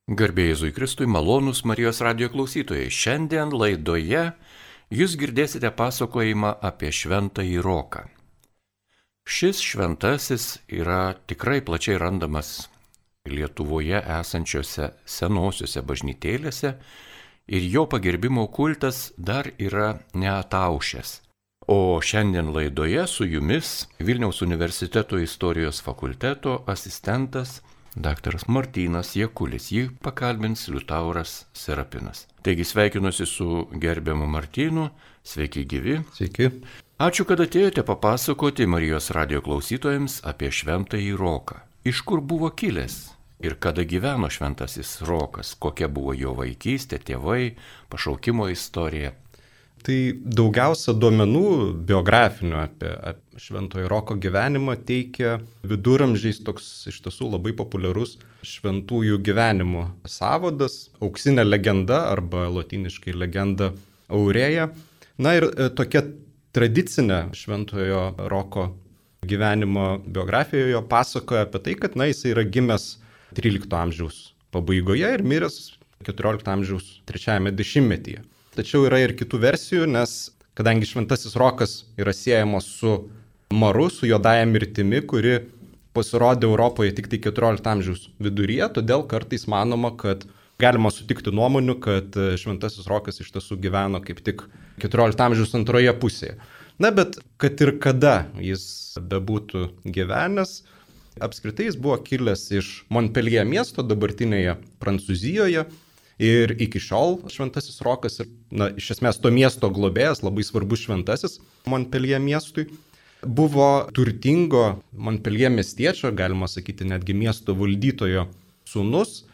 Garbė Jėzui Kristui, malonūs Marijos radijo klausytojai. Šiandien laidoje jūs girdėsite pasakojimą apie šventąjį Roką. Šis šventasis yra tikrai plačiai randamas Lietuvoje esančiose senosiuose bažnytėlėse ir jo pagerbimo kultas dar yra neataušęs. O šiandien laidoje su jumis Vilniaus universiteto istorijos fakulteto asistentas Daktaras Martynas Jakulis, jį pakalbins Liutauras Serapinas. Taigi sveikinuosi su gerbiamu Martynu, sveiki gyvi. Sveiki. Ačiū, kad atėjote papasakoti Marijos radijo klausytojams apie šventąjį Roką. Iš kur buvo kilęs ir kada gyveno šventasis Rokas, kokia buvo jo vaikystė, tėvai, pašaukimo istorija. Tai daugiausia duomenų biografinių apie šventojo Roko gyvenimą teikia viduramžiais toks iš tiesų labai populiarus šventųjų gyvenimų sąvadas, auksinė legenda arba lotyniškai legenda Aureja. Na ir tokia tradicinė šventojo Roko gyvenimo biografijoje pasakoja apie tai, kad jis yra gimęs 13 amžiaus pabaigoje ir miręs 14 amžiaus 3 dešimtmetyje. Tačiau yra ir kitų versijų, nes kadangi šventasis Rokas yra siejamas su maru, su juodąja mirtimi, kuri pasirodė Europoje tik tai 14 amžiaus viduryje, todėl kartais manoma, kad galima sutikti nuomonių, kad šventasis Rokas iš tiesų gyveno kaip tik 14 amžiaus antroje pusėje. Na, bet kad ir kada jis bebūtų gyvenęs, apskritai jis buvo kilęs iš Montpellier miesto dabartinėje Prancūzijoje. Ir iki šiol šventasis Rokas ir iš esmės to miesto globėjas, labai svarbus šventasis Montpellier miestui, buvo turtingo Montpellier miestiečio, galima sakyti netgi miesto valdytojo sūnus.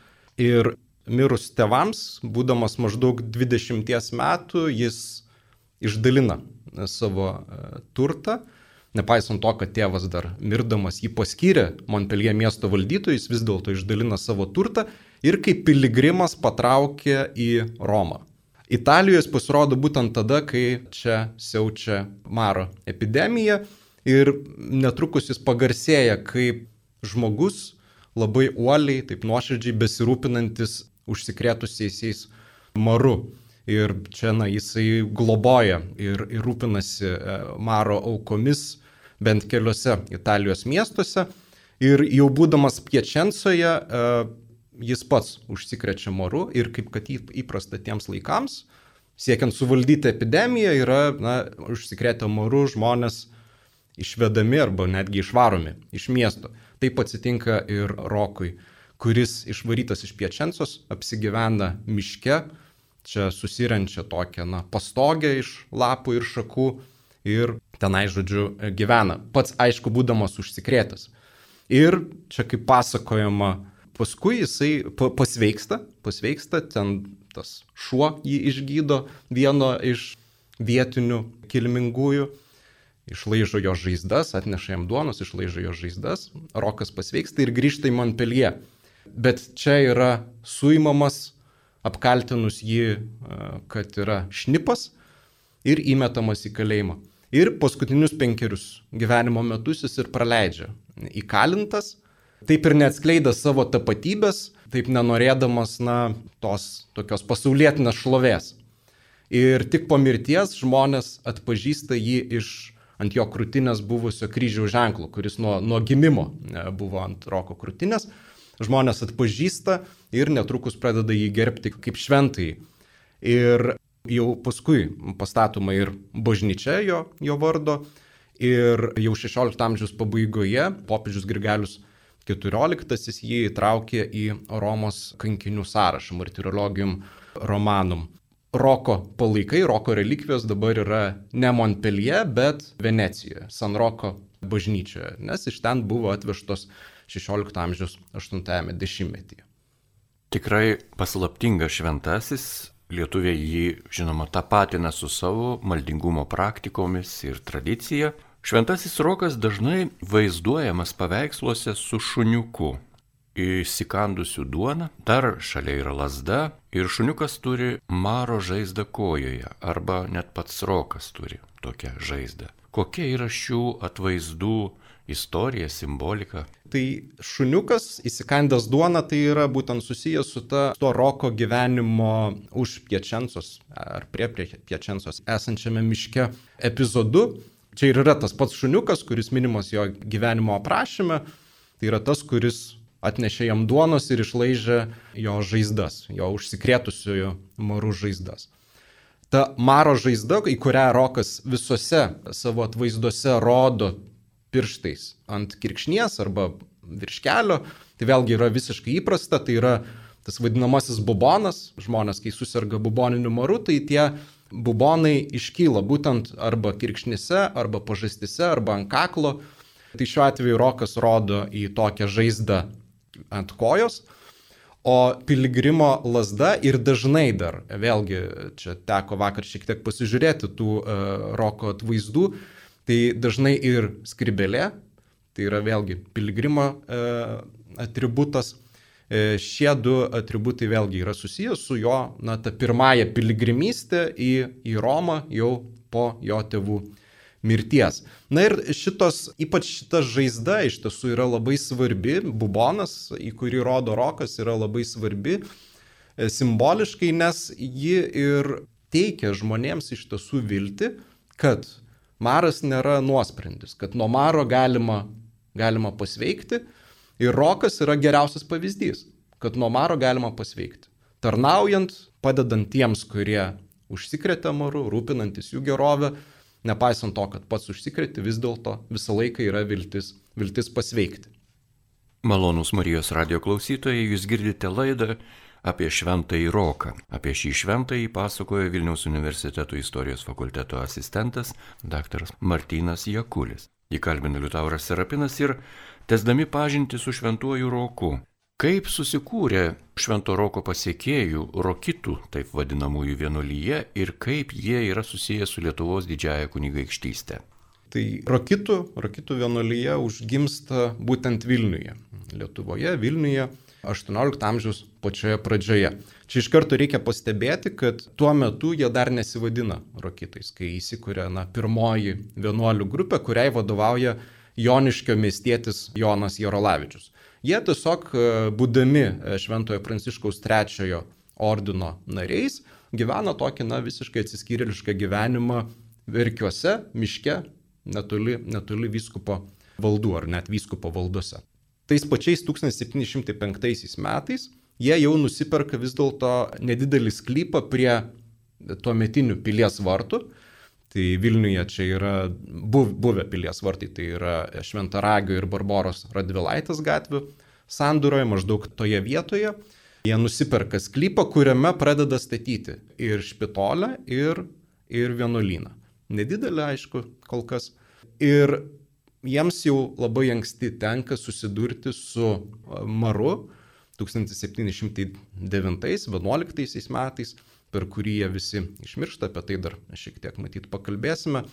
Ir mirus tėvams, būdamas maždaug 20 metų, jis išdalina savo turtą. Nepaisant to, kad tėvas dar mirdamas jį paskyrė Montpellier miesto valdytojui, jis vis dėlto išdalina savo turtą ir kaip piligrimas patraukė į Romą. Italijoje jis pasirodo būtent tada, kai čia siaučia maro epidemija ir netrukus jis pagarsėja kaip žmogus labai uoliai, taip nuoširdžiai besirūpinantis užsikrėtusiais maru. Ir čia jisai globoja ir rūpinasi maro aukomis bent keliose Italijos miestuose. Ir jau būdamas Piačencoje, jis pats užsikrečia maru ir kaip kad įprasta tiems laikams, siekiant suvaldyti epidemiją, yra užsikrėtę maru žmonės išvedami arba netgi išvaromi iš miesto. Taip atsitinka ir Rokui, kuris išvarytas iš Piačencos apsigyvena miške. Čia susirenčia tokią pastogę iš lapų ir šakų ir tenai, žodžiu, gyvena. Pats, aišku, būdamas užsikrėtęs. Ir čia kaip pasakojama, paskui jisai pasveiksta, ten tas šuo jį išgydo, vieno iš vietinių kilmingųjų, išlaižo jo žaizdas, atneša jam duonos, išlaižo jo žaizdas, Rokas pasveiksta ir grįžta į Montpellier. Bet čia yra suimamas, apkaltinus jį, kad yra šnipas ir įmetamas į kalėjimą. Ir paskutinius 5 gyvenimo metus jis ir praleidžia įkalintas, taip ir neatskleidęs savo tapatybės, taip nenorėdamas tos tokios pasaulietinės šlovės. Ir tik po mirties žmonės atpažįsta jį iš ant jo krūtinės buvusio kryžiaus ženklo, kuris nuo gimimo buvo ant Roko krūtinės. Žmonės atpažįsta ir netrukus pradeda jį gerbti kaip šventąjį. Ir jau paskui pastatoma ir bažnyčia jo vardo. Ir jau 16 amžiaus pabaigoje popiežius Grigalius XIV jį įtraukė į Romos kankinių sąrašą Martyrologium Romanum. Roko palaikai, Roko relikvijos dabar yra ne Montpellier, bet Venecijoje, San Roko bažnyčioje, nes iš ten buvo atvežtos 16 amžiaus 8 dešimtmetyje. Tikrai paslaptingas šventasis, lietuviai jį, žinoma, tapatina su savo maldingumo praktikomis ir tradicija. Šventasis Rokas dažnai vaizduojamas paveiksluose su šuniuku, įsikandusiu duoną, dar šalia yra lazda ir šuniukas turi maro žaizdą kojoje, arba net pats Rokas turi tokią žaizdą. Kokia yra šių atvaizdų istorija, simbolika. Tai šuniukas įsikandęs duoną tai yra būtent susijęs su to Roko gyvenimo už Piačencos ar prie Piačencos esančiame miške epizodu. Čia ir yra tas pats šuniukas, kuris minimas jo gyvenimo aprašyme. Tai yra tas, kuris atnešė jam duonos ir išlaižė jo žaizdas, jo užsikrėtusiųjų marų žaizdas. Ta maro žaizda, į kurią Rokas visose savo atvaizduose rodo pirštais ant kirkšnies arba virš kelio, tai vėlgi yra visiškai įprasta, tai yra tas vadinamasis bubonas. Žmonės, kai susirga buboniniu maru, tai tie bubonai iškyla būtent arba kirkšnyse, arba pažastyse, arba ant kaklo. Tai šiuo atveju Rokas rodo į tokią žaizdą ant kojos, o piligrimo lazda ir dažnai dar, vėlgi čia teko vakar šiek tiek pasižiūrėti tų Roko atvaizdų, tai dažnai ir skrybėlė, tai yra vėlgi piligrimo atributas. Šie du atributai vėlgi yra susijęs su jo, ta pirmąja piligrimystė į Romą jau po jo tėvų mirties. Na ir ypač šita žaizda iš tiesų yra labai svarbi, bubonas, į kurį rodo Rokas, yra labai svarbi simboliškai, nes ji ir teikia žmonėms iš tiesų viltį, kad maras nėra nuosprendis, kad nuo maro galima pasveikti, ir Rokas yra geriausias pavyzdys, kad nuo maro galima pasveikti. Tarnaujant, padedant tiems, kurie užsikrėtė maru, rūpinantis jų gerovę, nepaisant to, kad pats užsikrėtė, vis dėlto visą laiką yra viltis pasveikti. Malonūs Marijos radijo klausytojai, jūs girdite laidą apie Šventąjį Roką. Apie šį šventąjį pasakoja Vilniaus universiteto istorijos fakulteto asistentas dr. Martynas Jakulis. Jį kalbina Liutauras Serapinas ir tęsdami pažintį su Šventuoju Roku. Kaip susikūrė Švento Roko pasiekėjų, rokitų, taip vadinamųjų vienuolyje, ir kaip jie yra susiję su Lietuvos didžiąja kunigaikštyste? Tai rokitų vienuolyje užgimsta būtent Vilniuje. Lietuvoje, Vilniuje 18 amžiaus pačioje pradžioje. Čia iš karto reikia pastebėti, kad tuo metu jie dar nesivadina rokitais, kai įsikuria pirmoji vienuolių grupė, kuriai vadovauja Joniškio miestietis Jonas Jarolavičius. Jie tiesiog, būdami Šventojo Pranciškaus III ordino nariais, gyvena tokį visiškai atsiskyrėlišką gyvenimą Verkiuose, miške, netoli vyskupo valdų ar net vyskupo valdose. Tais pačiais 1705 metais jie jau nusiperka vis dėlto nedidelį sklypą prie tuometinių pilies vartų. Tai Vilniuje čia yra buvę pilies vartai, tai yra Šventaragio ir Barboros Radvilaitės gatvių sandūroje, maždaug toje vietoje. Jie nusiperka sklypą, kuriame pradeda statyti ir špitolę, ir vienuolyną. Nedidelė, aišku, kol kas. Ir jiems jau labai anksti tenka susidurti su maru 1709-11 metais, per kurį jie visi išmiršta, apie tai dar šiek tiek matyt pakalbėsime.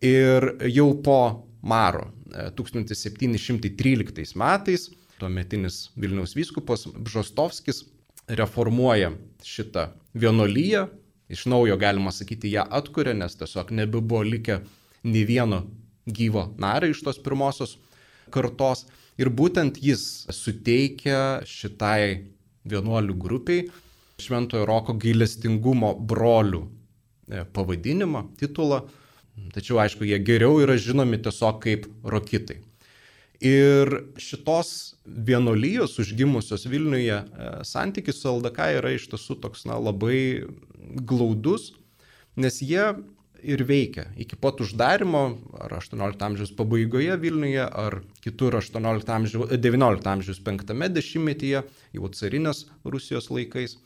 Ir jau po maro 1713 metais tuometinis Vilniaus vyskupas Bžostovskis reformuoja šitą vienuolyją, iš naujo galima sakyti ją atkuria, nes tiesiog nebebuvo likę nei vieno gyvo nario iš tos pirmosios kartos. Ir būtent jis suteikia šitai vienuolių grupiai Šventojo Roko gailestingumo brolių pavadinimą, titulą. Tačiau, aišku, jie geriau yra žinomi tiesiog kaip rokitai. Ir šitos vienuolijos užgimusios Vilniuje santykis su LDK yra iš tiesų toks labai glaudus, nes jie ir veikia iki pat uždarimo, ar 18 amžiaus pabaigoje Vilniuje, ar kitur 19 amžiaus 5 dešimtmetyje, jau carinės Rusijos laikais.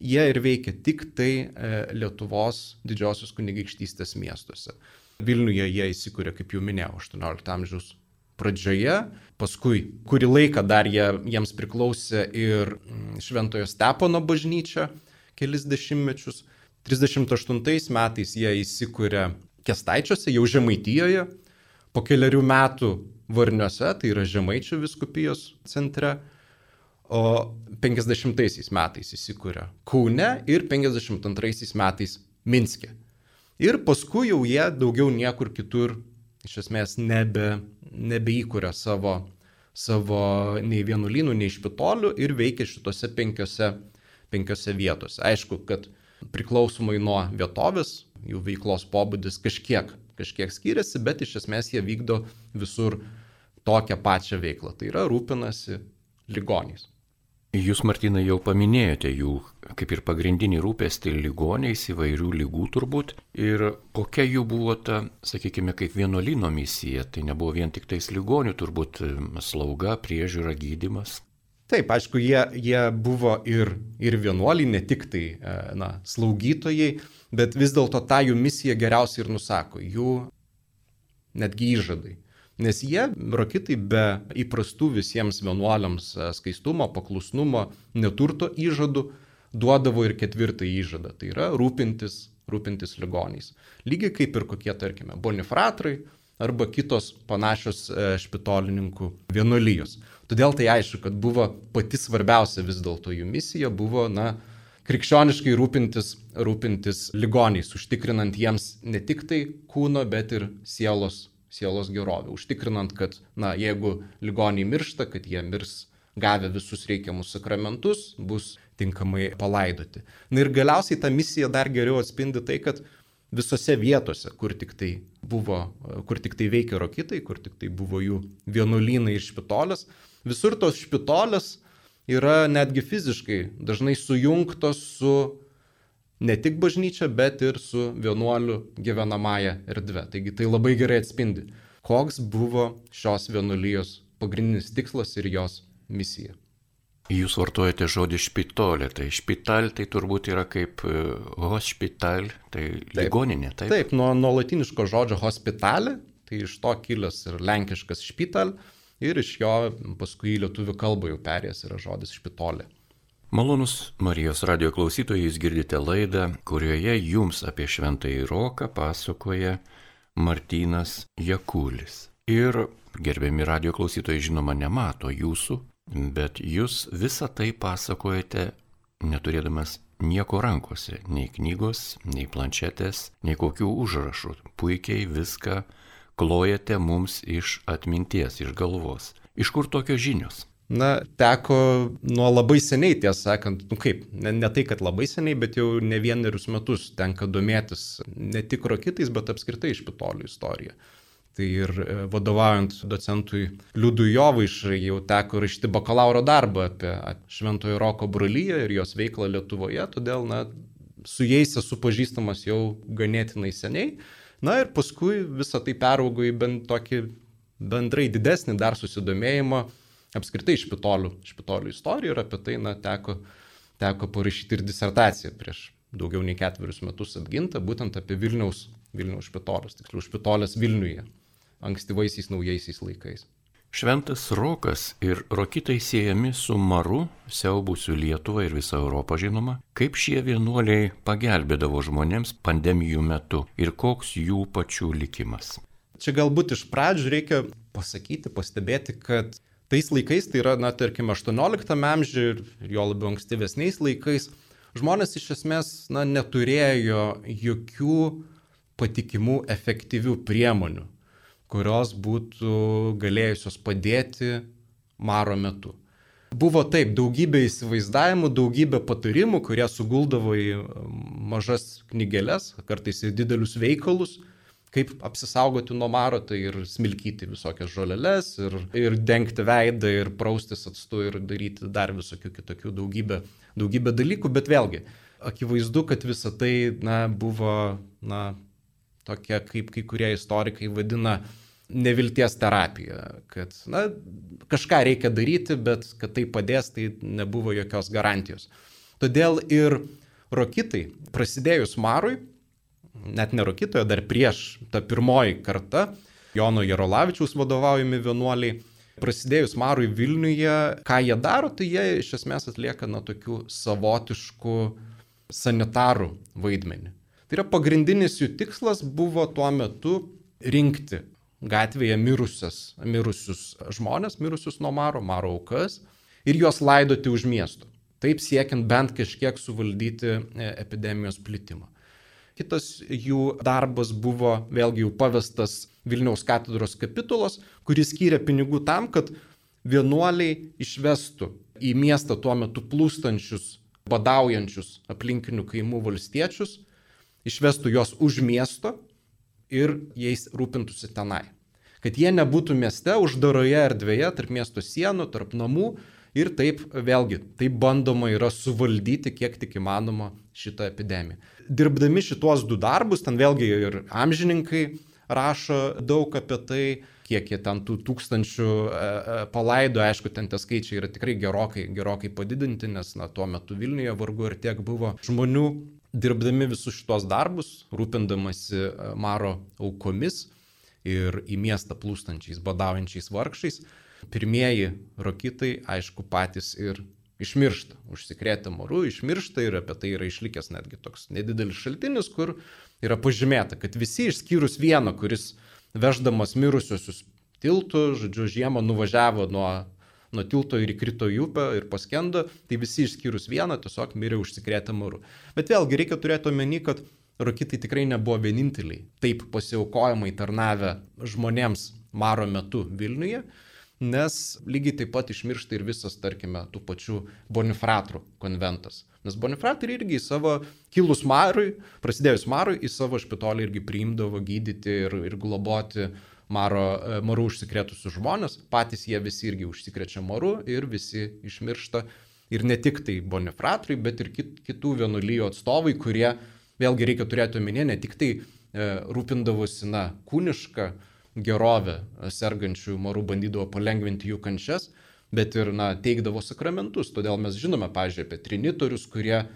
Jie ir veikia tik tai Lietuvos didžiosios kunigaikštystės miestuose. Vilniuje jie įsikūrė, kaip jau minėjau, 18 amžiaus pradžioje, paskui kurį laiką dar jiems priklausė ir Šventojo Stepono bažnyčia kelis dešimtmečius. 38 metais jie įsikūrė Kęstaičiuose, jau Žemaitijoje, po keliarių metų Varniuose, tai yra Žemaičių vyskupijos centre, o 50 metais įsikūrė Kaune ir 52 metais Minske. Ir paskui jau jie daugiau niekur kitur iš esmės nebeįkuria savo nei vienuolynų, nei špitolių ir veikia šitose penkiose vietose. Aišku, kad priklausomai nuo vietovės, jų veiklos pobūdis kažkiek skiriasi, bet iš esmės jie vykdo visur tokią pačią veiklą. Tai yra rūpinasi ligoniais. Jūs, Martynai, jau paminėjote jų kaip ir pagrindinį rūpestį ligoniais, įvairių lygų turbūt. Ir kokia jų buvo ta, sakykime, kaip vienuolyno misija? Tai nebuvo vien tik tais ligonių, turbūt slauga, priežiūra, gydymas. Taip, aišku, jie buvo ir vienuoliai, ne tik tai slaugytojai, bet vis dėlto tą jų misiją geriausiai ir nusako, jų netgi įžadai. Nes jie, rokitai, be įprastų visiems vienuoliams skaistumo, paklusnumo, neturto įžadų, duodavo ir ketvirtą įžadą, tai yra rūpintis ligoniais. Lygiai kaip ir kokie, tarkime, bonifratrai arba kitos panašios špitolininkų vienuolijos. Todėl tai aišku, kad buvo pati svarbiausia vis dėlto jų misija, buvo krikščioniškai rūpintis ligoniais, užtikrinant jiems ne tik tai kūno, bet ir sielos gerovę. Užtikrinant, kad jeigu ligoniai miršta, kad jie mirs gavę visus reikiamus sakramentus, bus tinkamai palaidoti. Ir galiausiai ta misija dar geriau atspindi tai, kad visose vietose, kur tik tai veikia rokitai, kur tik tai buvo jų vienuolynai ir špitolės, visur tos špitolės yra netgi fiziškai dažnai sujungtos su ne tik bažnyčia, bet ir su vienuolių gyvenamąja erdve. Taigi tai labai gerai atspindi, koks buvo šios vienuolijos pagrindinis tikslas ir jos misija. Jūs vartojate žodį špitolė, tai špital tai turbūt yra kaip hospital, tai ligoninė, taip? Taip, nuo latiniško žodžio hospitalė, tai iš to kilęs ir lenkiškas špital, ir iš jo paskui į lietuvių kalbą jau perėjęs yra žodis špitolė. Malonus Marijos radijo klausytojai, jūs girdite laidą, kurioje jums apie Šventąjį Roką pasakoja Martynas Jakulis. Ir gerbiami radijo klausytojai žinoma nemato jūsų, bet jūs visą tai pasakojate neturėdamas nieko rankose, nei knygos, nei planšetės, nei kokių užrašų. Puikiai viską klojate mums iš atminties, iš galvos. Iš kur tokios žinios? Teko nuo labai seniai, tiesą sakant, ne tai, kad labai seniai, bet jau ne vienerius metus tenka domėtis ne tik rokitais, bet apskritai špitolių istorija. Tai ir vadovaujant docentui Liudui Jovaišai jau teko rašyti bakalauro darbą apie Šventojo Roko broliją ir jos veiklą Lietuvoje, todėl su jais esu pažįstamas jau ganėtinai seniai. Ir paskui visą tai peraugo į tokį bendrai didesnį dar susidomėjimą apskritai špitolių istoriją ir apie tai teko parašyti ir disertaciją prieš daugiau nei 4 metus apgintą, būtent apie Vilniaus špitolės, tiksliau špitolės Vilniuje, ankstyvaisiais naujaisiais laikais. Šventas Rokas ir rokitai siejami su maru, siaubusiu Lietuvą ir visą Europą žinoma. Kaip šie vienuoliai pagelbėdavo žmonėms pandemijų metu ir koks jų pačių likimas? Čia galbūt iš pradžių reikia pastebėti, kad tais laikais, tai yra, tarkim, 18 amžiuje ir jo labiau ankstyvesniais laikais, žmonės iš esmės neturėjo jokių patikimų, efektyvių priemonių, kurios būtų galėjusios padėti maro metu. Buvo taip, daugybė įsivaizdavimų, daugybė patarimų, kurie suguldavo į mažas knygeles, kartais į didelius veikalus, kaip apsisaugoti nuo maro, tai ir smilkyti visokias žoleles, ir dengti veidą, ir praustis actu, ir daryti dar visokių kitokių daugybę dalykų, bet vėlgi, akivaizdu, kad visa tai buvo tokia, kaip kai kurie istorikai vadina, nevilties terapija, kad kažką reikia daryti, bet kad tai padės, tai nebuvo jokios garantijos. Todėl ir rokitai, prasidėjus marui, net ne rokitoje, dar prieš tą pirmoji karta, Jono Jarolavičiaus vadovaujami vienuoliai, prasidėjus marui Vilniuje, ką jie daro, tai jie iš esmės atlieka tokių savotiškų sanitarų vaidmenį. Tai yra pagrindinis jų tikslas buvo tuo metu rinkti gatvėje mirusius žmonės, mirusius nuo maro aukas ir juos laidoti už miesto. Taip siekiant bent kažkiek suvaldyti epidemijos plitimą. Kitas jų darbas buvo vėlgi jau pavestas Vilniaus katedros kapitulos, kuris skyrė pinigų tam, kad vienuoliai išvestų į miestą tuo metu plūstančius, badaujančius aplinkinių kaimų valstiečius, išvestų juos už miesto ir jais rūpintųsi tenai. Kad jie nebūtų mieste, uždaroje erdvėje, tarp miesto sienų, tarp namų ir taip vėlgi, taip bandoma yra suvaldyti kiek tik įmanoma šitą epidemiją. Dirbdami šitos du darbus, ten vėlgi ir amžininkai rašo daug apie tai, kiek jie ten tų tūkstančių palaido, aišku, ten tie skaičiai yra tikrai gerokai padidinti, nes tuo metu Vilniuje vargu ir tiek buvo žmonių. Dirbdami visus šitos darbus, rūpindamasi maro aukomis ir į miestą plūstančiais, badaujančiais vargšais, pirmieji rokitai, aišku, patys ir išmiršta. Užsikrėtę maru, išmiršta ir apie tai yra išlikęs netgi toks nedidelis šaltinis, kur yra pažymėta, kad visi išskyrus vieną, kuris veždamas mirusiosius tiltu, žodžiu, žiemą nuvažiavo nuo tilto ir įkrito į upę ir paskendo, tai visi išskyrus vieną tiesiog mirė užsikrėtę maru. Bet vėlgi reikia turėti omeny, kad rokitai tikrai nebuvo vieninteliai taip pasiaukojimai tarnavę žmonėms maro metu Vilniuje, nes lygiai taip pat išmiršta ir visas, tarkime, tų pačių Bonifratrų konventas. Nes Bonifratrai irgi į savo kilus marui, prasidėjus marui, į savo špitolį irgi priimdavo gydyti ir globoti maru užsikrėtusius žmonės. Patys jie visi irgi užsikrečia maru ir visi išmiršta. Ir ne tik tai Bonifratrai, bet ir kitų vienuolijų atstovai, kurie, vėlgi reikia turėti omenyje, ne tik tai rūpindavosi kūnišką gerovę sergančių marų, bandydavo palengvinti jų kančias, bet ir teikdavo sakramentus. Todėl mes žinome, pavyzdžiui, apie trinitorius, kurie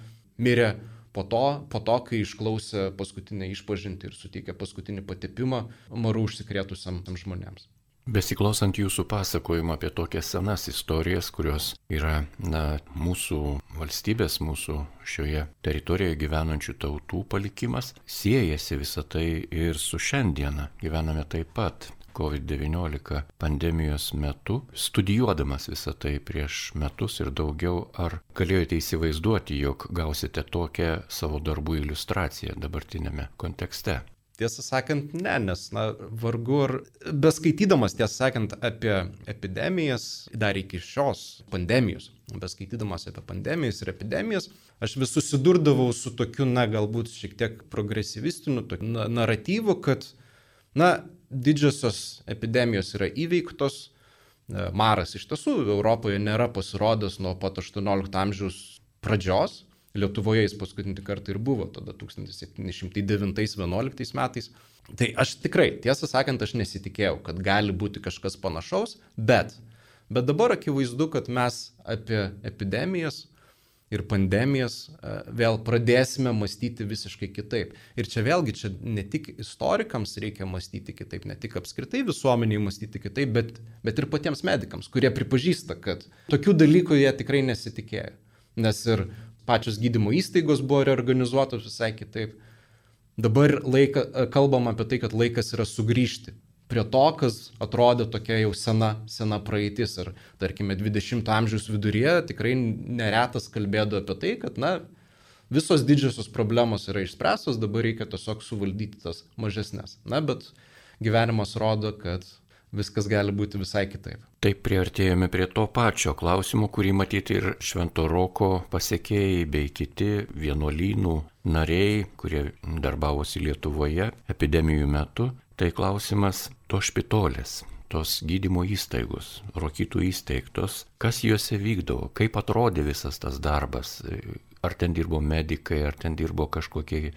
mirė po to, kai išklausė paskutinę išpažintį ir suteikė paskutinį patepimą marų užsikrėtusiam žmonėms. Besiklausant jūsų pasakojimo apie tokias senas istorijas, kurios yra mūsų valstybės, mūsų šioje teritorijoje gyvenančių tautų palikimas, siejasi visą tai ir su šiandiena. Gyvename taip pat COVID-19 pandemijos metu. Studijuodamas visą tai prieš metus ir daugiau, ar galėjote įsivaizduoti, jog gausite tokią savo darbų iliustraciją dabartinėme kontekste? Tiesą sakant, ne, nes vargu ar beskaitydamas, tiesą sakant, apie epidemijas, dar iki šios pandemijos, beskaitydamas apie pandemijas ir epidemijas, aš vis susidurdavau su tokiu, galbūt šiek tiek progresyvistiniu naratyvu, kad, didžiosios epidemijos yra įveiktos, maras iš tiesų Europoje nėra pasirodęs nuo pat 18 amžiaus pradžios. Lietuvoje jis paskutinį kartą ir buvo, tada 1709-11 metais. Tai aš tikrai, tiesą sakant, aš nesitikėjau, kad gali būti kažkas panašaus, bet dabar akivaizdu, kad mes apie epidemijas ir pandemijas vėl pradėsime mąstyti visiškai kitaip. Ir čia vėlgi, ne tik istorikams reikia mąstyti kitaip, ne tik apskritai visuomeniai mąstyti kitaip, bet ir patiems medikams, kurie pripažįsta, kad tokių dalykų jie tikrai nesitikėjo. Nes ir pačios gydymo įstaigos buvo reorganizuotos visai kitaip. Dabar kalbam apie tai, kad laikas yra sugrįžti prie to, kas atrodė tokia jau sena praeitis. Ir tarkime 20 amžiaus viduryje tikrai neretas kalbėdavo apie tai, kad visos didžiosios problemos yra išspręstos, dabar reikia tiesiog suvaldyti tas mažesnės. Bet gyvenimas rodo, kad viskas gali būti visai kitaip. Taip priartėjome prie to pačio klausimo, kurį matyti ir Švento Roko pasekėjai bei kiti vienuolynų nariai, kurie darbavosi Lietuvoje epidemijų metu. Tai klausimas to špitolės, tos gydymo įstaigos, rokytų įsteigtos, kas juose vykdavo, kaip atrodė visas tas darbas, ar ten dirbo medikai, ar ten dirbo kažkokie,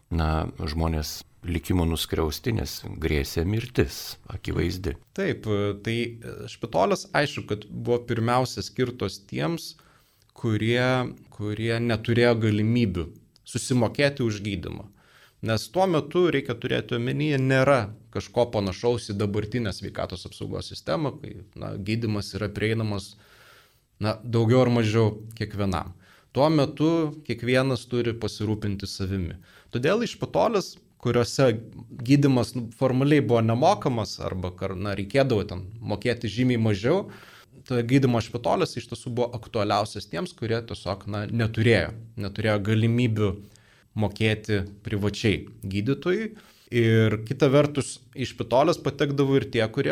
žmonės likimo nuskriausti, nes grėsė mirtis, akivaizdi. Taip, tai špitolės aišku, kad buvo pirmiausia skirtos tiems, kurie neturėjo galimybių susimokėti už gydymą. Nes tuo metu, reikia turėti omenyje, nėra kažko panašaus į dabartinę sveikatos apsaugos sistemą, kai gydymas yra prieinamas daugiau ar mažiau kiekvienam. Tuo metu kiekvienas turi pasirūpinti savimi. Todėl iš špitolės, kuriuose gydymas formaliai buvo nemokamas arba reikėdavo ten mokėti žymiai mažiau, tai gydymo špitolės iš tiesų buvo aktualiausias tiems, kurie tiesiog neturėjo galimybių mokėti privačiai gydytojui. Ir kita vertus, iš Špitolės patekdavo ir tie, kurie,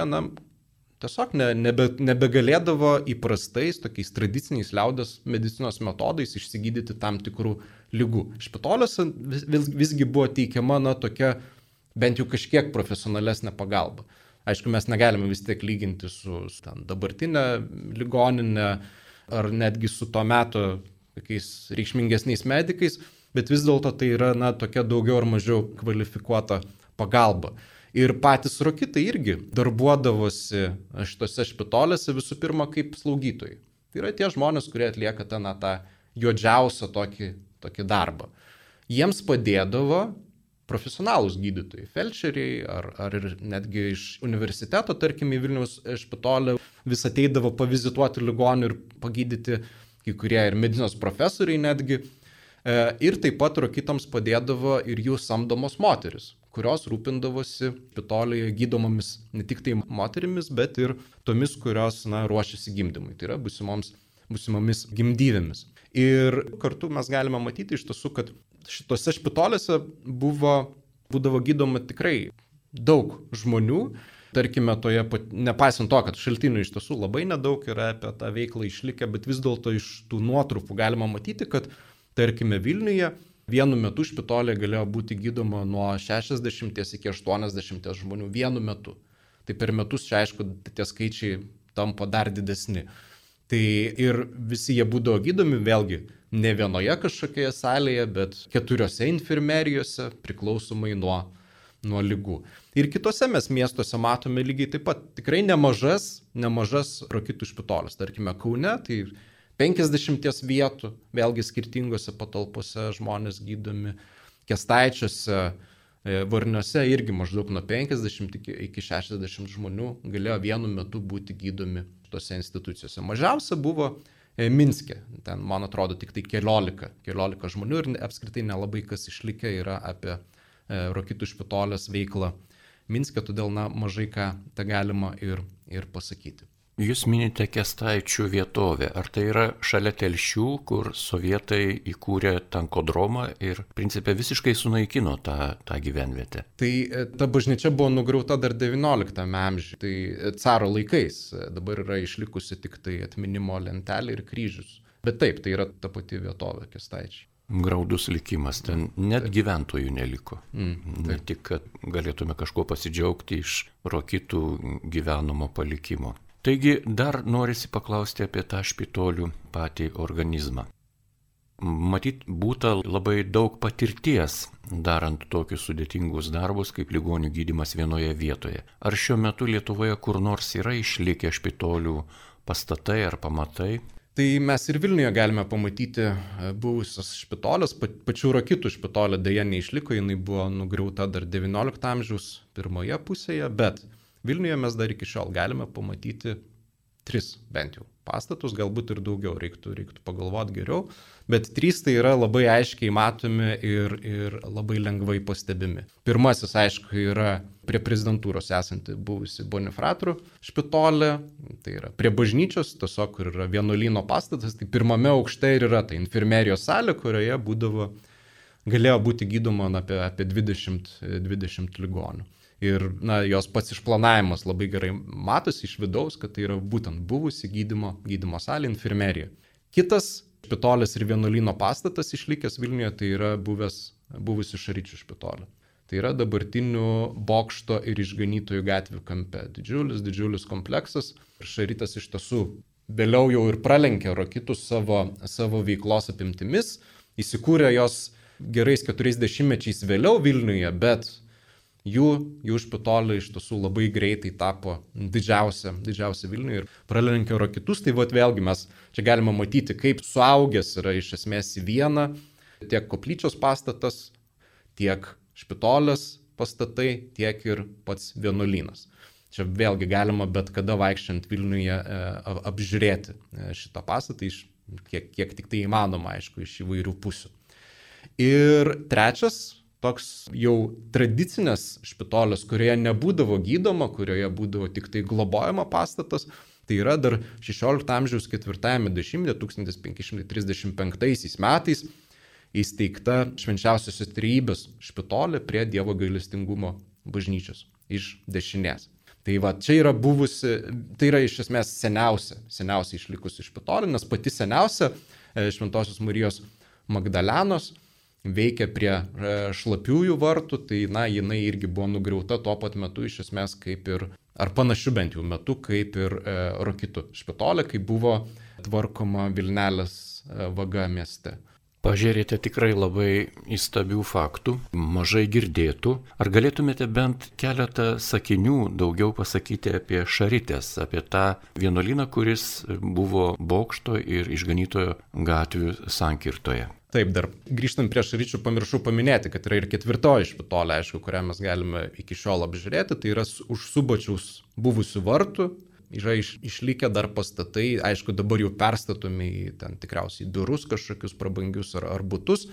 tiesiog nebegalėdavo įprastais, tokiais tradiciniais liaudės medicinos metodais išsigydyti tam tikrų ligų. Špitolėse visgi buvo teikiama, tokia bent jau kažkiek profesionalesnė pagalba. Aišku, mes negalime vis tiek lyginti su dabartinė ligoninė ar netgi su to meto tokiais reikšmingesniais medikais, bet vis dėlto tai yra tokia daugiau ar mažiau kvalifikuota pagalba. Ir patys rokitai irgi darbuodavosi šitose špitolėse visų pirma kaip slaugytojai. Tai yra tie žmonės, kurie atlieka tą juodžiausią tokį darbą. Jiems padėdavo profesionalūs gydytojai, felčeriai ar ir netgi iš universiteto, tarkim, į Vilniaus špitolę vis ateidavo pavizituoti ligonių ir pagydyti kai kurie ir medicinos profesoriai netgi. Ir taip pat rokitams padėdavo ir jų samdomos moteris, kurios rūpindavosi špitolėje gydomomis ne tik tai moterimis, bet ir tomis, kurios ruošiasi gimdymui, tai yra būsimomis gimdyvėmis. Ir kartu mes galime matyti iš tiesų, kad šitose špitolėse būdavo gydoma tikrai daug žmonių. Tarkime, nepaisant to, kad šaltinių iš tiesų labai nedaug yra apie tą veiklą išlikę, bet vis dėlto iš tų nuotrupų galima matyti, kad, tarkime, Vilniuje vienu metu špitolė galėjo būti gydoma nuo 60 iki 80 žmonių vienu metu. Tai per metus, čia aišku, tie skaičiai tampa dar didesni. Tai ir visi jie būdavo gydomi, vėlgi, ne vienoje kažkokioje salėje, bet 4 infirmerijose, priklausomai nuo ligų. Ir kitose mes miestuose matome lygiai taip pat tikrai nemažas rokitų špitolės. Tarkime, Kaune, tai 50 vietų, vėlgi skirtingose patalpose žmonės gydomi. Kęstaičiuose, Varniuose irgi maždaug nuo 50 iki 60 žmonių galėjo vienu metu būti gydomi tose institucijose. Mažiausia buvo Minske, ten, man atrodo, tik tai 14 žmonių ir apskritai nelabai kas išlikę yra apie rokitų špitolės veiklą Minske, todėl mažai ką tą galima ir pasakyti. Jūs minite Kęstaičių vietovę. Ar tai yra šalia Telšių, kur sovietai įkūrė tankodromą ir principe visiškai sunaikino tą gyvenvietę? Tai ta bažnyčia buvo nugriauta dar 19 amžiuje, tai caro laikais. Dabar yra išlikusi tik tai atminimo lentelė ir kryžius. Bet taip, tai yra ta pati vietovė Kęstaičiai. Graudus likimas, ten net gyventojų neliko. Ne tik, kad galėtume kažko pasidžiaugti iš rokitų gyvenamo palikimo. Taigi dar norisi paklausti apie tą špitolių patį organizmą. Matyt, būta labai daug patirties darant tokius sudėtingus darbus kaip ligonių gydymas vienoje vietoje. Ar šiuo metu Lietuvoje kur nors yra išlikę špitolių pastatai ar pamatai? Tai mes ir Vilniuje galime pamatyti buvusios špitolės, pačių rokitų špitolė dėja neišliko, jinai buvo nugriauta dar 19 amžiaus pirmoje pusėje, bet Vilniuje mes dar iki šiol galime pamatyti 3 bent jau pastatus, galbūt ir daugiau, reiktų pagalvoti geriau, bet 3 tai yra labai aiškiai matomi ir labai lengvai pastebimi. Pirmasis, aišku, yra prie prezidentūros esanti buvusi Bonifratrų špitolė, tai yra prie bažnyčios, tiesiog kur yra vienuolyno pastatas, tai pirmame aukšte ir yra ta infirmerijos salė, kurioje galėjo būti gydoma apie 20 ligonių. Ir jos pats išplanavimas labai gerai matosi iš vidaus, kad tai yra būtent buvusi gydymo salė, infirmerija. Kitas špitolės ir vienuolyno pastatas išlikęs Vilniuje, tai yra buvusi Šaričių špitolė. Tai yra dabartinių Bokšto ir Išganytojų gatvių kampe. Didžiulis kompleksas. Šaritas iš tiesų vėliau jau ir pralenkė rokitus savo veiklos apimtimis. Įsikūrė jos gerais 40 mečiais vėliau Vilniuje, bet jų špitolė iš tiesų labai greitai tapo didžiausia Vilniuje ir pralenkė rokitus. Tai vėlgi mes čia galime matyti, kaip suaugęs yra iš esmės į vieną tiek koplyčios pastatas, tiek špitolės pastatai, tiek ir pats vienuolynas. Čia vėlgi galima bet kada vaikščiant Vilniuje apžiūrėti šitą pastatą, kiek tik tai įmanoma, aišku, iš įvairių pusių. Ir trečias, toks jau tradicinės špitolės, kurioje nebūdavo gydoma, kurioje būdavo tik tai globojama pastatas, tai yra dar 16 amžiaus 4-ame dešimtmetyje, 1535 metais įsteigta Švenčiausiosios Trejybės špitolė prie Dievo gailestingumo bažnyčios iš dešinės. Tai va, čia yra buvusi, tai yra iš esmės seniausia išlikusi špitolė, nes pati seniausia Šventosios Marijos Magdalenos veikia prie Šlapiųjų vartų, tai jinai irgi buvo nugriauta tuo pat metu iš esmės kaip ir, ar panašiu bent jau metu, kaip ir Rokitų špitolė, kai buvo tvarkoma Vilnelės vaga mieste. Pažiūrėjote tikrai labai įstabių faktų, mažai girdėtų. Ar galėtumėte bent keletą sakinių daugiau pasakyti apie Šaritės, apie tą vienuolyną, kuris buvo Bokšto ir Išganytojo gatvių sankirtoje? Taip, dar grįžtant prie Šaričių, pamiršau paminėti, kad yra ir ketvirtoji špitolė, aišku, kurią mes galime iki šiol apžiūrėti, tai yra už Subačiaus buvusių vartų. Yra išlikę dar pastatai, aišku, dabar jau perstatomi į ten tikriausiai biurus kažkokius prabangius ar butus,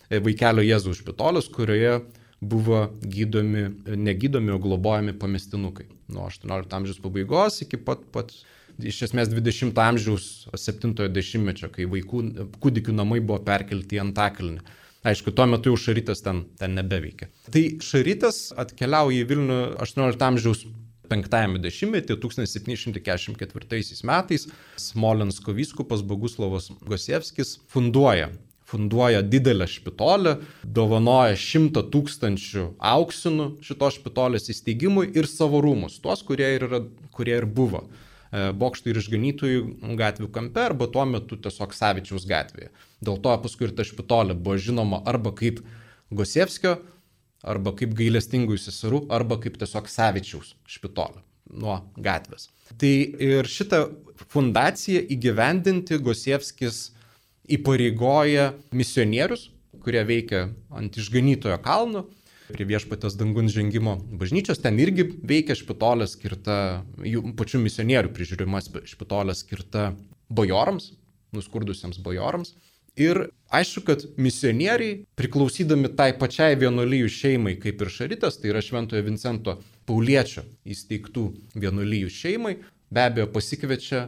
Vaikelio Jėzaus špitolis, kurioje buvo negydomi, o globojami pamestinukai. Nuo 18 amžiaus pabaigos iki pat iš esmės 20 amžiaus 70-mečio, kai kūdikių namai buvo perkelti į Antakalnį. Aišku, tuo metu jau Šaritės ten nebeveikia. Tai Šaritės atkeliauja į Vilnių 18 amžiaus 5-ame dešimtmetyje, 1744 metais, Smolensko vyskupas Boguslavas Gosievskis funduoja didelę špitolę, dovanoja 100 000 auksinų šitos špitolės įsteigimui ir savo rūmus, tuos, kurie ir buvo Bokšto ir Išganytojų gatvių kampe, arba tuo metu tiesiog Savičiaus gatvėje. Dėl to paskui ir ta špitolė buvo žinoma arba kaip Gosievskio, arba kaip Gailestingųjų seserų, arba kaip tiesiog Savičiaus špitolė nuo gatvės. Tai ir šitą fundaciją įgyvendinti Gosievskis įpareigoja misionierius, kurie veikia ant Išganytojo kalno, prie Viešpaties dangun žengimo bažnyčios. Ten irgi veikia špitolė skirta, jų pačių misionierių prižiūrima špitolė skirta bajorams, nuskurdusiems bajorams. Ir aišku, kad misionieriai, priklausydami tai pačiai vienuolijų šeimai kaip ir Šaritės, tai yra Šventojo Vincento Pauliečio įsteigtų vienuolijų šeimai, be abejo pasikviečia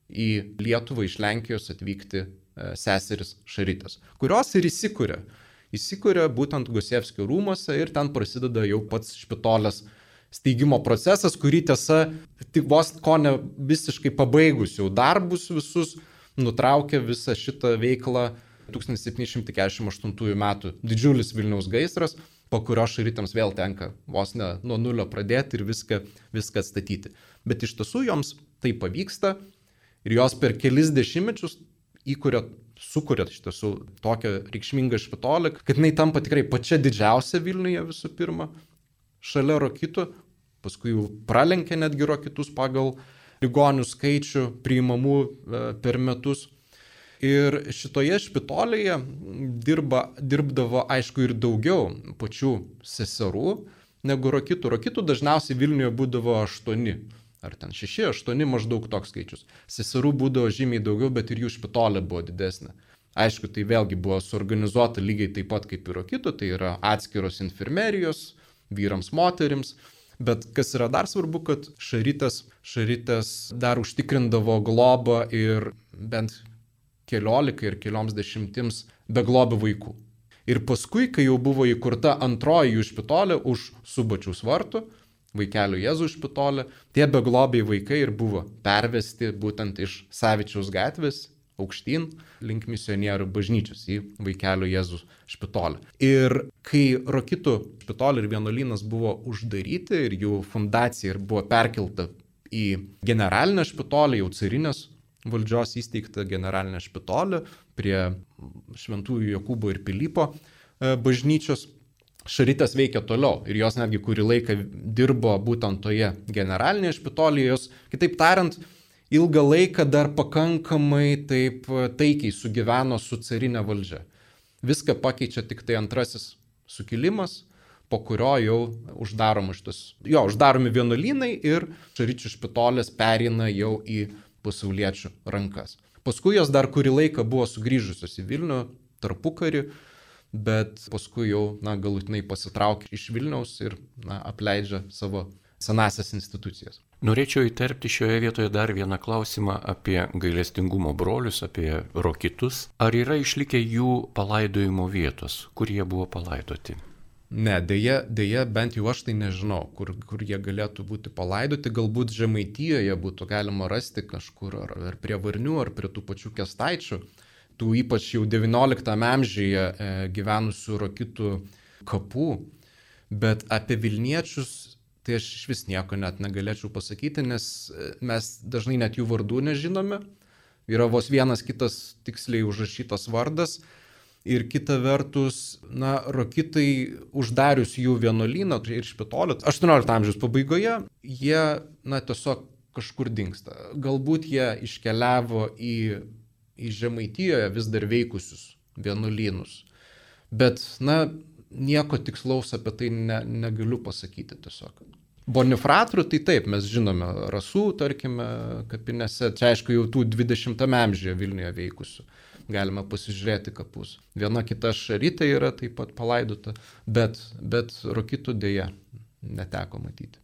į Lietuvą iš Lenkijos atvykti seseris Šaritės, kurios ir įsikuria būtent Gosievskio rūmuose ir ten prasideda jau pats špitolės steigimo procesas, kurį tiesa tik vos ko ne visiškai pabaigus jau darbus visus, nutraukė visą šitą veiklą 1748 metų didžiulis Vilniaus gaisras, po kurio Šaritėms vėl tenka vos ne nuo nulio pradėti ir viską atstatyti. Bet iš tiesų joms tai pavyksta ir jos per kelis dešimtmečius sukuria iš tiesų tokią reikšmingą špitolę, kad jinai tampa tikrai pačia didžiausia Vilniuje visų pirma, šalia Rokitų, paskui jau pralenkia netgi Rokitus pagal ligonių skaičių priimamų per metus. Ir šitoje špitolėje dirbdavo aišku ir daugiau pačių seserų negu Rokitų. Rokitų dažniausiai Vilniuje būdavo 8, ar ten 6, 8 maždaug toks skaičius. Seserų būdavo žymiai daugiau, bet ir jų špitolė buvo didesnė. Aišku, tai vėlgi buvo suorganizuota lygiai taip pat kaip ir Rokitų, tai yra atskiros infirmerijos vyrams, moterims. Bet kas yra dar svarbu, kad Šaritės dar užtikrindavo globą ir bent 14 ir kelioms dešimtims beglobių vaikų. Ir paskui, kai jau buvo įkurta antroji jų špitolė už Subačiaus vartų, Vaikelio Jėzaus špitolė, tie beglobiai vaikai ir buvo pervesti būtent iš Savičiaus gatvės aukštyn link misionierių bažnyčios į Vaikelio Jėzaus špitolę. Ir kai Rokitų špitolė ir vienuolynas buvo uždaryti ir jų fundacija buvo perkelta į generalinę špitolę, jau carinės valdžios įsteigtą generalinę špitolę prie Šventųjų Jokūbo ir Pilypo bažnyčios, Šaritės veikia toliau ir jos netgi kurį laiką dirbo būtent toje generalinėje špitolėje, jos, kitaip tariant, ilgą laiką dar pakankamai taip taikiai sugyveno su carinė valdžia. Viską pakeičia tik tai antrasis sukilimas, po kurio jau uždaromi vienuolynai ir Šaričių špitolės pereina jau į pasauliečių rankas. Paskui jos dar kurį laiką buvo sugrįžusios į Vilnių tarpukarį, bet paskui jau galutinai pasitraukė iš Vilniaus ir apleidžia savo senasias institucijas. Norėčiau įterpti šioje vietoje dar vieną klausimą apie gailestingumo brolius, apie rokitus. Ar yra išlikę jų palaidojimo vietos, kur jie buvo palaidoti? Ne, dėja, bent jau aš tai nežinau, kur jie galėtų būti palaidoti. Galbūt Žemaitijoje būtų galima rasti kažkur ar prie Varnių, ar prie tų pačių Kęstaičių, tų ypač jau XIX amžiuje gyvenusių rokitų kapų. Bet apie Vilniečius tai aš iš vis nieko net negalėčiau pasakyti, nes mes dažnai net jų vardų nežinome. Yra vos vienas kitas tiksliai užrašytas vardas. Ir kita vertus, rokitai uždarius jų vienuolyną ir špitolį, 18 amžiaus pabaigoje, jie, tiesiog kažkur dingsta. Galbūt jie iškeliavo į Žemaitijoje vis dar veikusius vienuolynus. Bet, nieko tikslaus apie tai negaliu pasakyti tiesiog. Bonifratrų, tai taip, mes žinome, Rasų, tarkime, kapinėse, čia aišku jau tų 20 amžiuje Vilniuje veikusių. Galima pasižiūrėti kapus. Viena kita šarytė yra taip pat palaidota, bet rokitų dėja neteko matyti.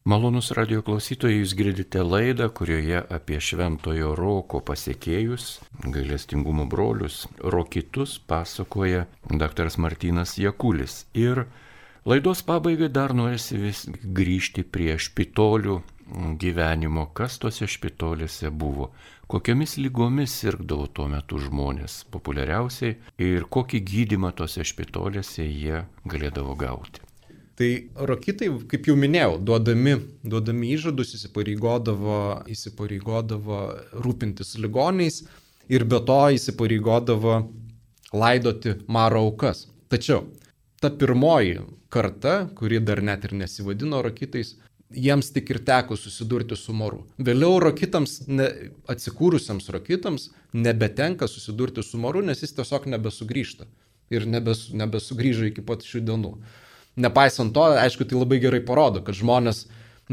Malonus radio klausytojai, jūs girdite laidą, kurioje apie Šventojo Roko pasiekėjus, gailestingumo brolius, rokitus pasakoja dr. Martynas Jakulis. Ir laidos pabaigai dar norisi vis grįžti prie špitolių gyvenimo, kas tose špitolėse buvo, kokiomis lygomis sirgdavo tuo metu žmonės populiariausiai ir kokį gydymą tose špitolėse jie galėdavo gauti. Tai rokitai, kaip jau minėjau, duodami įžadus įsipareigodavo rūpintis ligoniais ir be to įsipareigodavo laidoti maro aukas. Tačiau ta pirmoji karta, kuri dar net ir nesivadino rokitais, jiems tik ir teko susidurti su maru. Vėliau rokitams, atsikūrusiems rokitams, nebetenka susidurti su maru, nes jis tiesiog nebesugrįžta ir nebesugrįžo iki pat šių dienų. Nepaisant to, aišku, tai labai gerai parodo, kad žmonės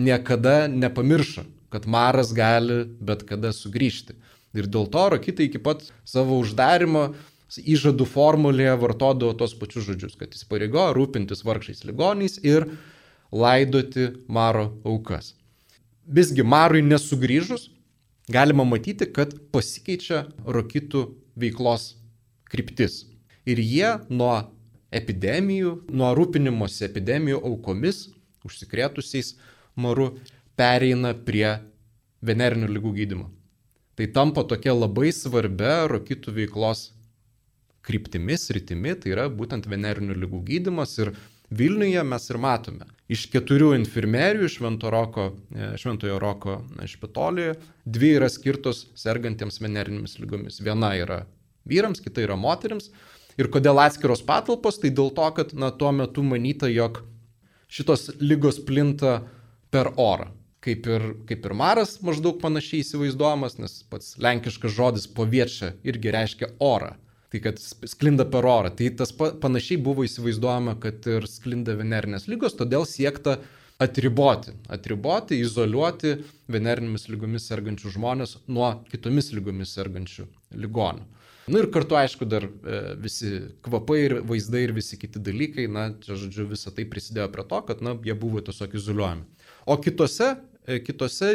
niekada nepamiršo, kad maras gali bet kada sugrįžti. Ir dėl to rokitai iki pat savo uždarimo įžadų formulėje vartodavo tos pačius žodžius, kad įsipareigojo rūpintis vargšais ligoniais ir laidoti maro aukas. Visgi marui nesugrįžus, galima matyti, kad pasikeičia rokitų veiklos kryptis. Ir jie nuo rūpinimosi epidemijų aukomis, užsikrėtusiais maru, pereina prie venerinių ligų gydymo. Tai tampa tokia labai svarbia rokitų veiklos kryptimi, tai yra būtent venerinių ligų gydymas. Ir Vilniuje mes ir matome. Iš 4 infirmerijų Šventojo Roko špitolėje 2 yra skirtos sergantiems venerinėmis lygomis. Viena yra vyrams, kita yra moterims. Ir kodėl atskiros patalpos? Tai dėl to, kad tuo metu manyta, jog šitos lygos plinta per orą. Kaip ir maras maždaug panašiai įsivaizduojamas, nes pats lenkiškas žodis poviečia irgi reiškia orą. Tai kad sklinda per orą. Tai tas panašiai buvo įsivaizduojama, kad ir sklinda venerinės lygos, todėl siekta atriboti, izoliuoti venerinėmis lygomis sergančių žmonės nuo kitomis lygomis sergančių ligonių. Ir kartu, aišku, dar visi kvapai ir vaizdai ir visi kiti dalykai, čia, žodžiu, visą tai prisidėjo prie to, kad, jie buvo tiesiog izoliuojami. O kitose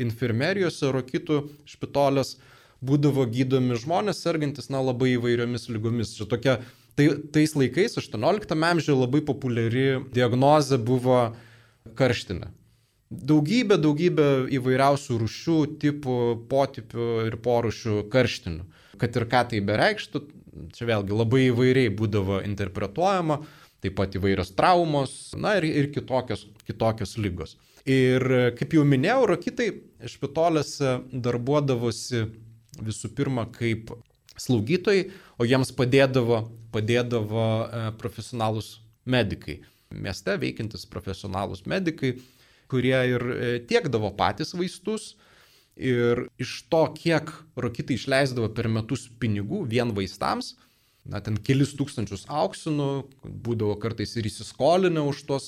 infirmerijose, rokitų špitolės būdavo gydomi žmonės sergantis, labai įvairiomis lygomis. Čia tokia, tais laikais, 18 amžiuje labai populiari diagnozė buvo karštinė. Daugybė įvairiausių rūšių, tipų, potipių ir porūšių karštinių. Kad ir ką tai bereikštų, čia vėlgi labai įvairiai būdavo interpretuojama, taip pat įvairios traumos, ir kitokios ligos. Ir kaip jau minėjau, rokitai špitolėse darbuodavosi visų pirma kaip slaugytojai, o jiems padėdavo profesionalūs medikai. Mieste veikiantis profesionalūs medikai, kurie ir tiekdavo patys vaistus. Ir iš to, kiek rokitai išleisdavo per metus pinigų vien vaistams, ten kelis tūkstančius auksinų, būdavo kartais ir įsiskolinę už tos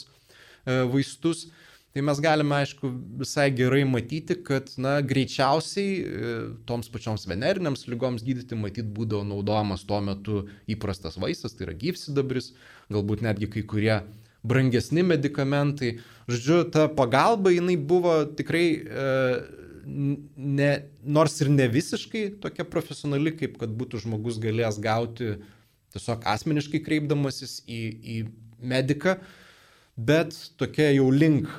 vaistus, tai mes galime, aišku, visai gerai matyti, kad greičiausiai toms pačioms venerinėms lygoms gydyti matyti būdavo naudojamas tuo metu įprastas vaistas, tai yra gyvsidabris, galbūt netgi kai kurie brangesni medikamentai. Žodžiu, ta pagalba jinai buvo tikrai, nors ir ne visiškai tokia profesionali, kaip kad būtų žmogus galėjęs gauti tiesiog asmeniškai kreipdamasis į mediką, bet tokia jau link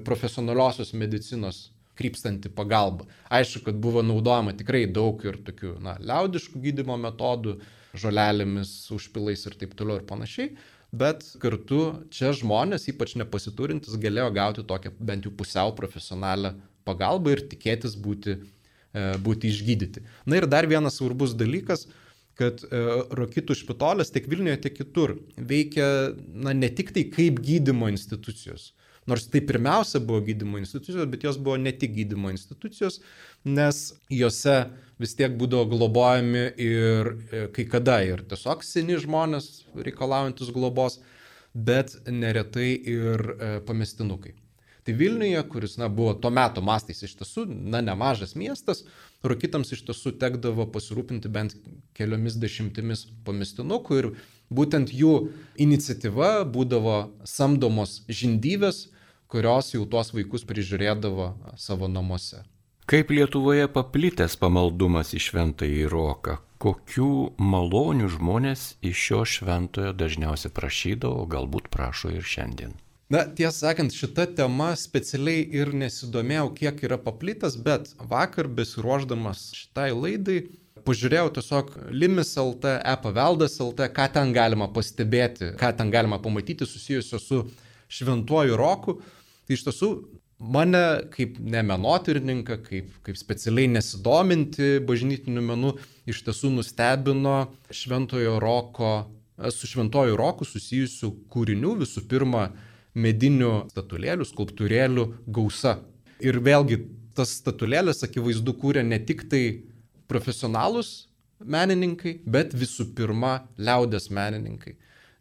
profesionaliosios medicinos krypstanti pagalba. Aišku, kad buvo naudojama tikrai daug ir tokių liaudiškų gydymo metodų, žolelėmis, užpilais ir taip toliau ir panašiai, bet kartu čia žmonės, ypač nepasiturintis, galėjo gauti tokią bent jau pusiau profesionalią pagalbą ir tikėtis būti išgydyti. Na ir dar vienas svarbus dalykas, kad Rokitų špitolis tiek Vilniuje, tiek kitur veikia ne tik tai kaip gydymo institucijos. Nors tai pirmiausia buvo gydymo institucijos, bet jos buvo ne tik gydymo institucijos, nes jose vis tiek būdavo globojami ir kai kada ir tiesiog seni žmonės reikalaujantis globos, bet neretai ir pamestinukai. Tai Vilniuje, kuris buvo tuo metu mastais iš tiesų nemažas miestas, Rokitams iš tiesų tekdavo pasirūpinti bent keliomis dešimtimis pamestinukų ir būtent jų iniciatyva būdavo samdomos žindyvės, kurios jau tuos vaikus prižiūrėdavo savo namuose. Kaip Lietuvoje paplitęs pamaldumas į Šventąjį Roką? Kokių malonių žmonės iš šio šventojo dažniausiai prašydavo, galbūt prašo ir šiandien? Tiesą sakant, šita tema specialiai ir nesidomėjau, kiek yra paplitęs, bet vakar besiruošdamas šitai laidai pažiūrėjau tiesiog Limis.lt, e-paveldas.lt, ką ten galima pastebėti, ką ten galima pamatyti susijusio su Šventuoju Roku. Tai iš tiesų mane kaip ne menotyrininką, kaip specialiai nesidominti bažnytiniu menu, iš tiesų nustebino su Šventuoju Roku susijusių kūrinių, visų pirma, medinių statulėlių, skulptūrėlių gausa. Ir vėlgi, tas statulėlės akivaizdu kūrė ne tik tai profesionalūs menininkai, bet visų pirma liaudies menininkai.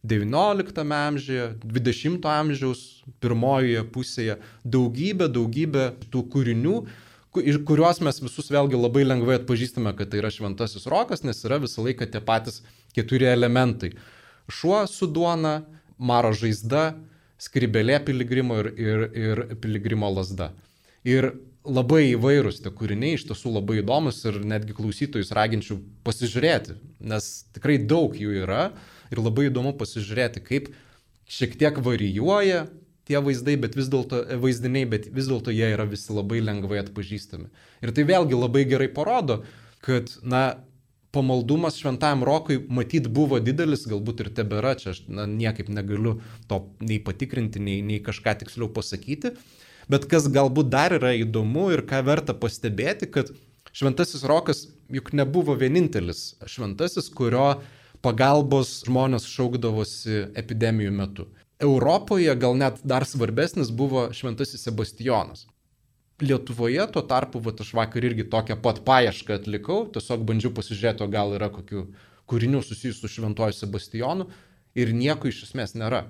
XIX amžiuje, XX amžiaus pirmojoje pusėje daugybė tų kūrinių, kuriuos mes visus vėlgi labai lengvai atpažįstame, kad tai yra Šventasis Rokas, nes yra visą laiką tie patys 4 elementai. Šuo su duona, maro žaizda, skribelė piligrimo ir piligrimo lazda. Ir labai įvairūs tie kūriniai, iš tiesų labai įdomus ir netgi klausytojus raginčiau pasižiūrėti, nes tikrai daug jų yra ir labai įdomu pasižiūrėti, kaip šiek tiek varijuoja tie vaizdiniai, bet vis dėlto jie yra visi labai lengvai atpažįstami. Ir tai vėlgi labai gerai parodo, kad pamaldumas Šventajam Rokui matyt buvo didelis, galbūt ir tebėra, čia aš niekaip negaliu to nei patikrinti, nei kažką tiksliau pasakyti, bet kas galbūt dar yra įdomu ir ką verta pastebėti, kad Šventasis Rokas juk nebuvo vienintelis šventasis, kurio pagalbos žmonės šaukdavosi epidemijų metu. Europoje gal net dar svarbesnis buvo Šventasis Sebastijonas. Lietuvoje tuo tarpu, aš vakar irgi tokią pat paiešką atlikau, tiesiog bandžiau pasižiūrėti, gal yra kokių kūrinių susijusių su Šventuoju Sebastijonu ir nieko iš esmės nėra.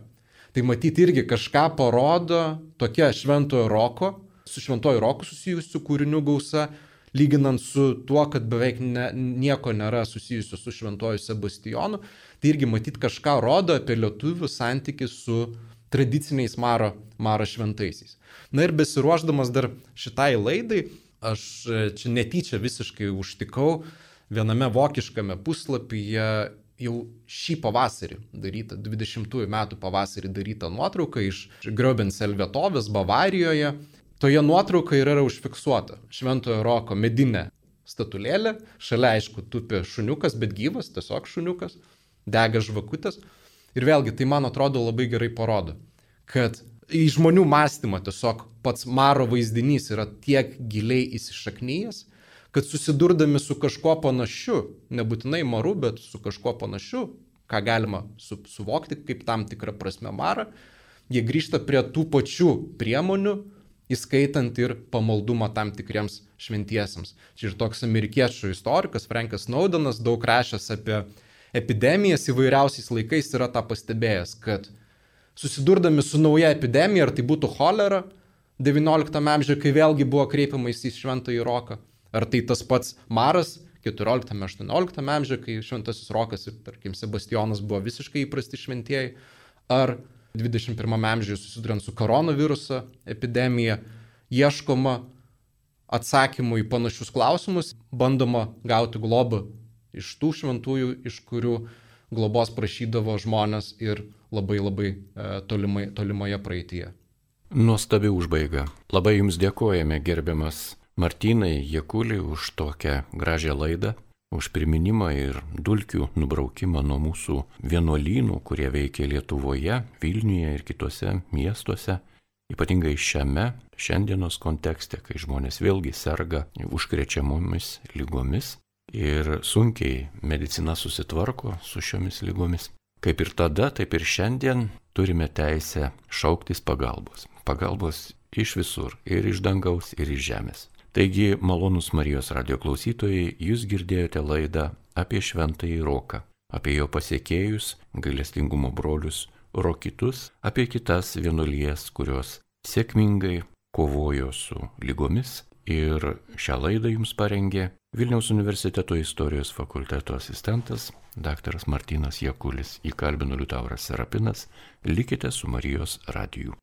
Tai matyti irgi kažką parodo tokia Šventojo Roko, su Šventuoju Roku susijusių kūrinių gausa, lyginant su tuo, kad beveik nieko nėra susijusio su Šventuoju Sebastijonu, tai irgi matyti kažką rodo apie lietuvių santykį su tradiciniais maro šventaisiais. Na ir besiruošdamas dar šitai laidai, aš čia netyčia visiškai užtikau viename vokiškame puslapyje jau šį pavasarį darytą, 20 metų pavasarį darytą nuotrauką iš Gröbensel vietovės Bavarijoje. Toje nuotraukoje yra užfiksuota Šventojo Roko medinė statulėlė, šalia aišku tupi šuniukas, bet gyvas, tiesiog šuniukas, dega žvakutės. Ir vėlgi tai man atrodo labai gerai parodo, kad į žmonių mąstymą tiesiog pats maro vaizdinys yra tiek giliai įsišaknyjęs, kad susidurdami su kažkuo panašiu, nebūtinai maru, bet su kažkuo panašiu, ką galima suvokti kaip tam tikrą prasme marą, jie grįžta prie tų pačių priemonių, įskaitant ir pamaldumą tam tikriems šventiesiems. Čia ir toks amerikiečių istorikas Frankas Snowdenas, daug rašęs apie epidemijas įvairiausiais laikais, yra tą pastebėjęs, kad susidurdami su nauja epidemija, ar tai būtų cholera XIX amžiuje, kai vėlgi buvo kreipiamais į Šventąjį Roką, ar tai tas pats maras XIV-XVIII amžiuje, kai Šventasis Rokas ir, tarkim, Sebastijonas buvo visiškai įprasti šventieji, ar 21 amžiuje susiduriant su koronaviruso epidemija, ieškoma atsakymų į panašius klausimus, bandoma gauti globą iš tų šventųjų, iš kurių globos prašydavo žmonės ir labai tolimoje praeityje. Nuostabi užbaiga. Labai Jums dėkojame, gerbiamas Martynai Jakuli, už tokią gražią laidą, už priminimą ir dulkių nubraukimą nuo mūsų vienuolynų, kurie veikia Lietuvoje, Vilniuje ir kitose miestuose. Ypatingai šiandienos kontekste, kai žmonės vėlgi serga užkrečiamomis lygomis ir sunkiai medicina susitvarko su šiomis lygomis. Kaip ir tada, taip ir šiandien turime teisę šauktis pagalbos. Pagalbos iš visur, ir iš dangaus, ir iš žemės. Taigi, malonūs Marijos radijo klausytojai, jūs girdėjote laidą apie Šventąjį Roką, apie jo pasiekėjus, gailestingumo brolius rokitus, apie kitas vienuolijas, kurios sėkmingai kovojo su lygomis, ir šią laidą jums parengė Vilniaus universiteto istorijos fakulteto asistentas dr. Martynas Jakulis. Jį kalbino Liutauras Serapinas. Likite su Marijos radiju.